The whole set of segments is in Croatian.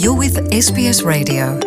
You're with SBS Radio.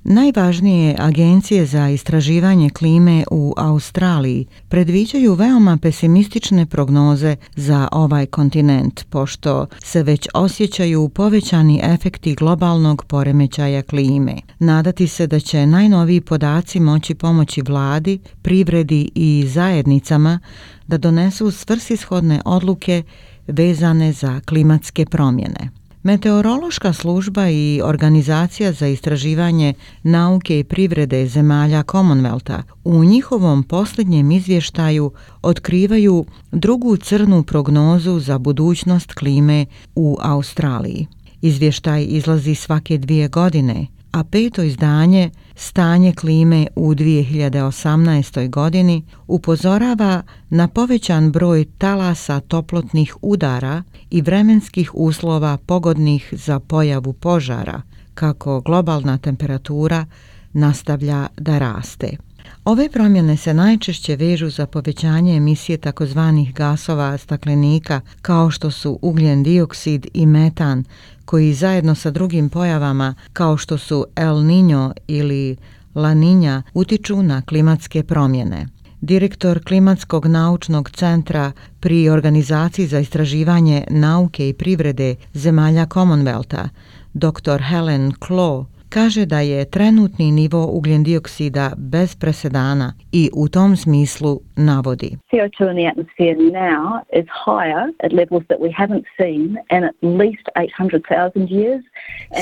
Najvažnije agencije za istraživanje klime u Australiji predviđaju veoma pesimistične prognoze za ovaj kontinent, pošto se već osjećaju povećani efekti globalnog poremećaja klime. Nadati se da će najnoviji podaci moći pomoći vladi, privredi i zajednicama da donesu svrsishodne odluke vezane za klimatske promjene. Meteorološka služba i Organizacija za istraživanje nauke i privrede zemalja Commonwealtha u njihovom posljednjem izvještaju otkrivaju drugu crnu prognozu za budućnost klime u Australiji. Izvještaj izlazi svake 2 godine, a 5. izdanje Stanje klime u 2018. godini upozorava na povećan broj talasa toplotnih udara i vremenskih uslova pogodnih za pojavu požara, kako globalna temperatura nastavlja da raste. Ove promjene se najčešće vežu za povećanje emisije takozvanih gasova staklenika kao što su ugljen dioksid i metan, koji zajedno sa drugim pojavama kao što su El Niño ili La Niña utiču na klimatske promjene. Direktor Klimatskog naučnog centra pri Organizaciji za istraživanje nauke i privrede zemalja Commonwealtha, dr. Helen Claw, kaže da je trenutni nivo ugljen dioksida bez presedana i u tom smislu navodi: CO2 in the atmosphere now is higher at levels that we haven't seen in at least 800,000 years.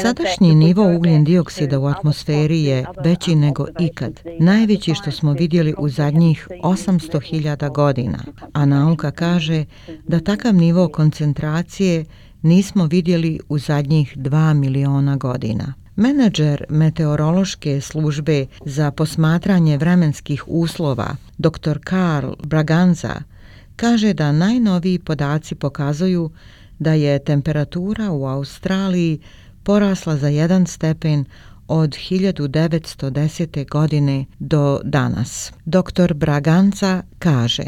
Sadašnji nivo ugljen dioksida u atmosferi je veći nego ikad, najveći što smo vidjeli u zadnjih 800.000 godina, a nauka kaže da takav nivo koncentracije nismo vidjeli u zadnjih 2 miliona godina. Menadžer meteorološke službe za posmatranje vremenskih uslova, dr. Carl Braganza, kaže da najnoviji podaci pokazuju da je temperatura u Australiji porasla za 1 stepen od 1910. godine do danas. Dr. Braganza kaže: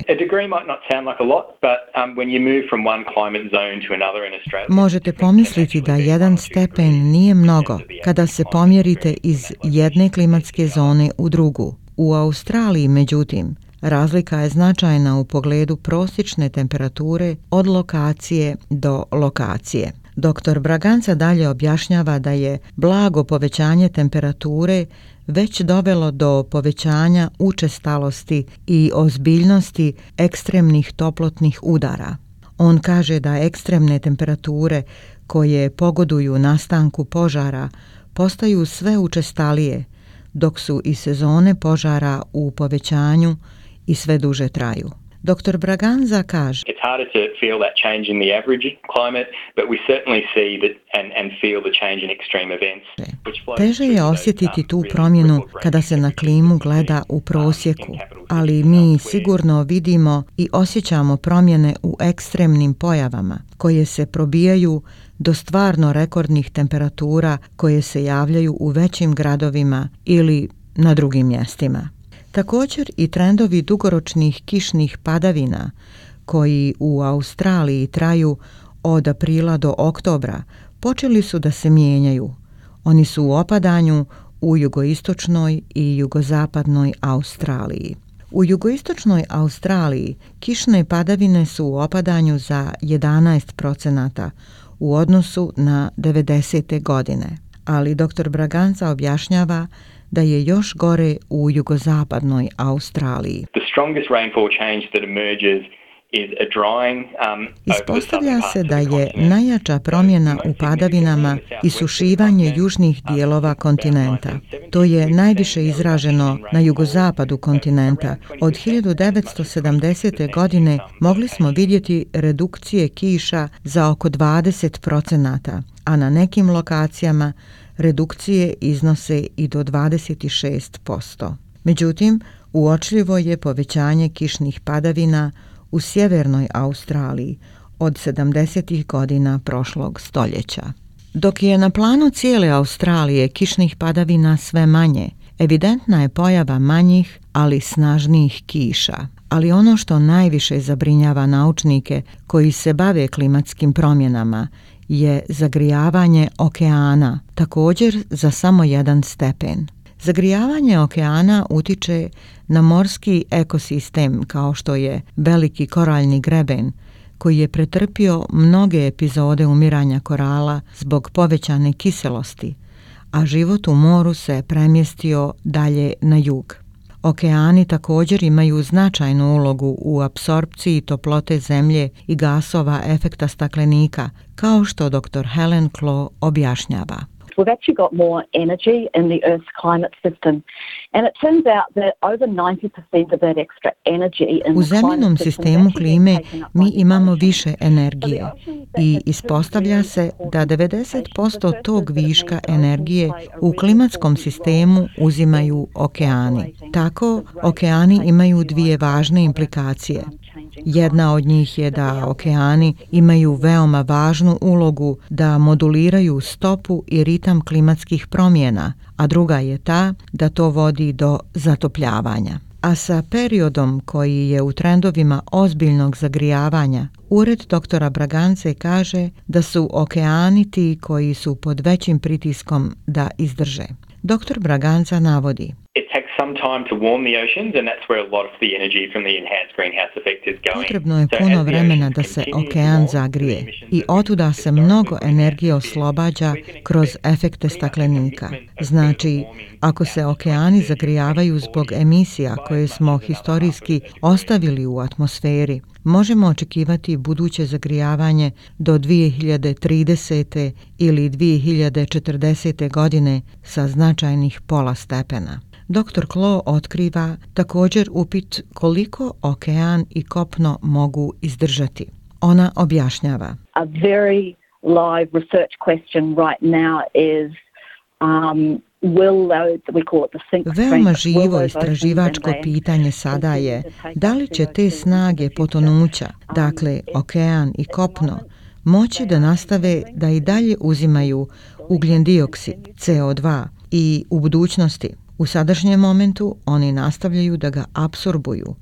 možete pomisliti da 1 stepen nije mnogo kada se pomjerite iz jedne klimatske zone u drugu. U Australiji, međutim, razlika je značajna u pogledu prosječne temperature od lokacije do lokacije. Dr. Braganza dalje objašnjava da je blago povećanje temperature već dovelo do povećanja učestalosti i ozbiljnosti ekstremnih toplotnih udara. On kaže da ekstremne temperature koje pogoduju nastanku požara postaju sve učestalije, dok su i sezone požara u povećanju i sve duže traju. Dr. Braganza kaže: it's harder to feel that change in the average climate, but we certainly see that and feel the change in extreme events. Teže je osjetiti tu promjenu kada se na klimu gleda u prosjeku, ali mi sigurno vidimo i osjećamo promjene u ekstremnim pojavama koje se probijaju do stvarno rekordnih temperatura koje se javljaju u većim gradovima ili na drugim mjestima. Također i trendovi dugoročnih kišnih padavina koji u Australiji traju od aprila do oktobra počeli su da se mijenjaju. Oni su u opadanju u jugoistočnoj i jugozapadnoj Australiji. U jugoistočnoj Australiji kišne padavine su u opadanju za 11% u odnosu na 90. godine, ali dr. Braganza objašnjava da je još gore u jugozapadnoj Australiji. Ispostavlja se da je najjača promjena u padavinama isušivanje južnih dijelova kontinenta. To je najviše izraženo na jugozapadu kontinenta. Od 1970. godine mogli smo vidjeti redukcije kiša za oko 20%, a na nekim lokacijama redukcije iznose i do 26%. Međutim, uočljivo je povećanje kišnih padavina u sjevernoj Australiji od 70. godina prošlog stoljeća. Dok je na planu cijele Australije kišnih padavina sve manje, evidentna je pojava manjih, ali snažnijih kiša. Ali ono što najviše zabrinjava naučnike koji se bave klimatskim promjenama je zagrijavanje okeana, također za samo 1 stepen. Zagrijavanje okeana utiče na morski ekosistem kao što je veliki koraljni greben, koji je pretrpio mnoge epizode umiranja korala zbog povećane kiselosti, a život u moru se premjestio dalje na jug. Okeani također imaju značajnu ulogu u apsorpciji toplote zemlje i gasova efekta staklenika, kao što dr. Helen Clough objašnjava. We've actually got more energy in the Earth's climate system, and it turns out that over 90% of that extra energy in U zemljinom sistemu klime mi imamo više energije i ispostavlja se da 90% tog viška energije u klimatskom sistemu uzimaju okeani. Tako, okeani imaju 2 važne implikacije. Jedna od njih je da okeani imaju veoma važnu ulogu da moduliraju stopu i ritam klimatskih promjena, a druga je ta da to vodi do zatopljavanja. A sa periodom koji je u trendovima ozbiljnog zagrijavanja, ured dr. Bragance kaže da su okeani ti koji su pod većim pritiskom da izdrže. Dr. Braganca navodi: potrebno je puno vremena da se okean zagrije i otuda se mnogo energije oslobađa kroz efekte staklenika. Znači, ako se okeani zagrijavaju zbog emisija koje smo historijski ostavili u atmosferi, možemo očekivati buduće zagrijavanje do 2030. ili 2040. godine sa značajnih pola stepena. Dr. Clough otkriva također upit koliko okean i kopno mogu izdržati. Ona objašnjava: A very live research question right now is veoma živo istraživačko pitanje sada je da li će te snage potonuća, dakle okean i kopno, moći da nastave da i dalje uzimaju ugljen dioksid, CO2 i u budućnosti. U sadašnjem momentu oni nastavljaju da ga apsorbuju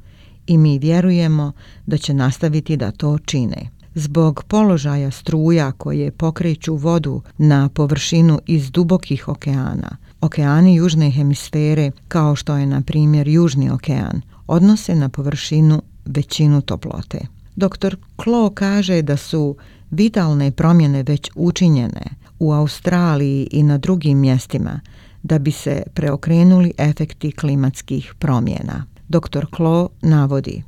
i mi vjerujemo da će nastaviti da to čine. Zbog položaja struja koje pokreću vodu na površinu iz dubokih okeana, okeani južne hemisfere, kao što je na primjer Južni okean, odnose na površinu većinu toplote. Dr. Clough kaže da su vitalne promjene već učinjene u Australiji i na drugim mjestima da bi se preokrenuli efekti klimatskih promjena. Dr. Clough navodi: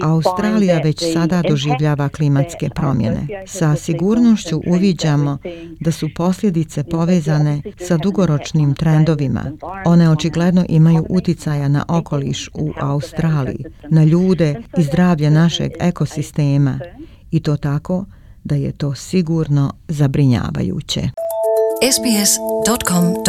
Australija već sada doživljava klimatske promjene. Sa sigurnošću uviđamo da su posljedice povezane sa dugoročnim trendovima. One očigledno imaju uticaja na okoliš u Australiji, na ljude i zdravlje našeg ekosistema i to tako da je to sigurno zabrinjavajuće. sbs.com.au